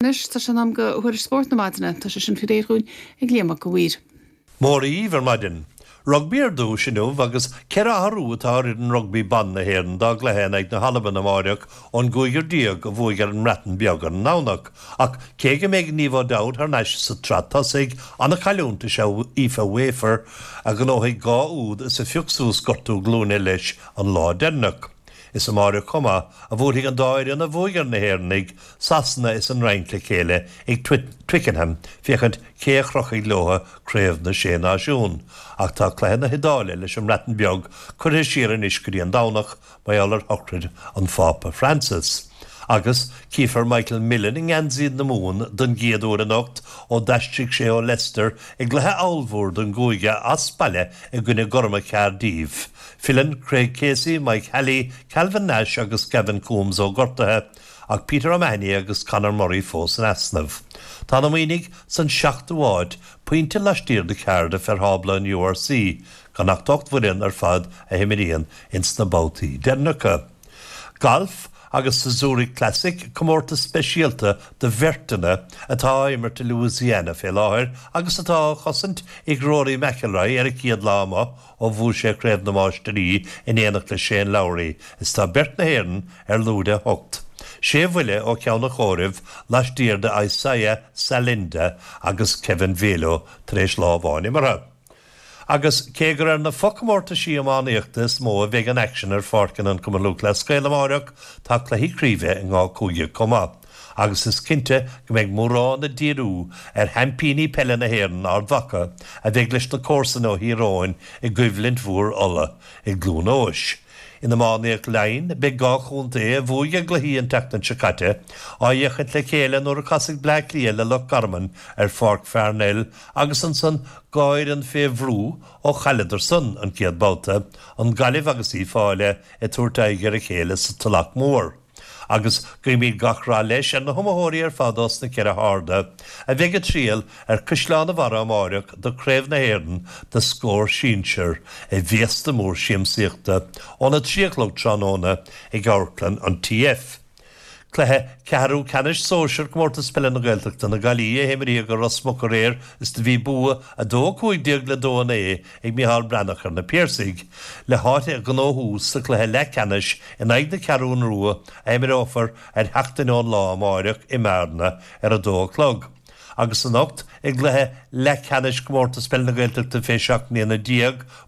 Anois tá sé in am do thuairisc spóirt na maidine. Tá sé sin faoi réir dhúinn ag Liam Mac a' Mhaoir. Móra dhíbh ar maidin. Rugbaí ar dtúis inniu agus 14 athrú atá ar fhoireann rugbaí ban na hÉireann dá gcluiche in aghaidh na hAlban amáireach ón gcúigear a bhuaigh ar an mBreatain Bheag ar an nDomhnach. Ach cé go mbeidh Niamh O'Dowd thar n-ais sa tsraith tosaigh, an-chailliúint is ea Aoife Wafer a ghnóthaigh 2 úd is a phioc suas gortú glúine leis an lá deireanach. Is amáireach chomh maith a bhuailfidh an dá fhoireann a bhuaigh ar na hÉireannaigh, Sasana is an Fhrainc le chéile ag Twickenham féachaint cé a chrochfaidh leo Craobh na Sé Náisiún. Ach tá cluiche na hIodáile leis an mBreatain Bheag curtha siar anois go dtí an Domhnach mar gheall ar shochraid an Phápa Francis. Agus cífear Michael Millen i ngeansaí na Mumhan don gcéad uair anocht ó d'aistrigh sé ó Leicester i gcluiche ollmhór don gcúige as baile i gcoinne Gorma Caerdydd. Filleann Craig Casey, Mike Halley, Calvin Nash agus Gavin Coombes ó ghortuithe, ach Peter O'Mahony agus Conor Murray fós in easnamh. Tá na Muimhnigh san seachtú háit, pointe laistiar de Cardiff ar thábla an URC, gan ach 8 bhfoireann ar fad a himríonn ins na babhtaí deireanacha. Galf agus sa Zurich Classic, comórtas speisialta do bheirteanna atá á imirt i Louisiana fé láthair agus atá á chosaint ag Rory McIlroy ar a chéad lá amuigh ó bhuaigh sé Craobh na Máistirí in éineacht le Shane Lowry is tá beirt na hÉireann ar lúide 8, sé bhuille ó cheann an chomhairimh laistiar de Isaiah Salinda agus Kevin Velo tar éis lá amháin imeartha. Agus cé gur ar na fochomórtaisí iománaíochta is mó a bheidh an aicsean ar pháirceanna an Chumann Lúthchleas Gael amáireach, tá cluichí craoibhe i ngach cúige chomh maith. Agus is cinnte go mbeidh mórán ag díriú ar sheaimpíní peile na hÉireann, Ard Mhacha, a bheidh leis na comharsana ó Thír Eoghain i gcoimhlint mhór Uladh i gCluain Eois. In iománaíocht Laighean, beidh 2 chontae a bhuaigh a gcluichí an tseachtain seo caite á fhéachaint le chéile nuair a casfaidh Bleá Cliath le Loch Garman ar Pháirc Pharnell agus ansan 2 fhoireann fé bhrú ó chailleadar san an chéad babhta, an Ghaillimh agus Uíbh Fhailí ag tabhairt aghaidh ar a chéile sa Tulach Mhór. Agus guímid gach rath leis ar na hiomaitheoirí ar fad ós na ceithre harda, a bheidh ag triall ar Chaisleán an Bharraigh amáireach do Craobh na hÉireann do Scór Sinsear i bhféasta mór siamsaíochta óna 3 a chlog tráthnóna ag Amharclann an TF. Cluiche Ceathrú Ceannais Sóisear Comórtas Peile na Gaeltachta na Gaillimhe a himríodh i Ros Muc aréir is do bhí bua 2-15 le 2-9 ag Micheál Breathnach ar na Piarsaigh, le háit a ghnóthú sa chluiche leathcheannais in aghaidh na Ceathrún Rua a imreofar ar sheachtain ón lá amáireach i mBearna ar a dó a chlog. Agus anocht i gcluiche leathcheannais Chomórtas Peile na Gaeltachta fé 17 mbliana,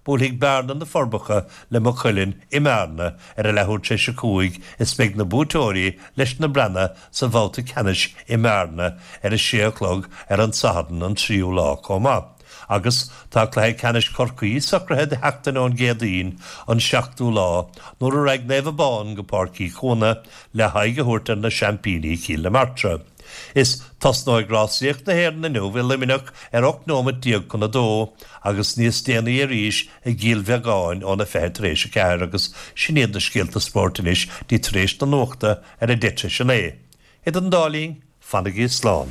buailfidh Bearna na Forbacha le Maigh Cuilinn i mBearna ar a leathuair tar éis a 5 is beidh na buaiteoirí leis na Breathnaigh sa bhabhta ceannais i mBearna ar a sé a chlog ar an Satharn an tríú lá chomh maith. Agus tá cluiche ceannais Chorcaí socraithe do sheachtain ón gCéadaoin, an seachtú lá, nuair a raghaidh Naomh Abán go Páirc Uí Chuana le haghaidh a thabhairt ar na seaimpíní Cill na Martra. Is tosnóidh rásaíocht na hÉireann inniu i Luimneach ar 18 nóimeat chun a dó agus níos déanaí arís i gCill Bheagáin óna 4 tar éis a 4 agus sin iad na scéalta spóirt anois dtí tar éis na nuachta ar a 9:20. Idir an dá linn, fanaigí slán.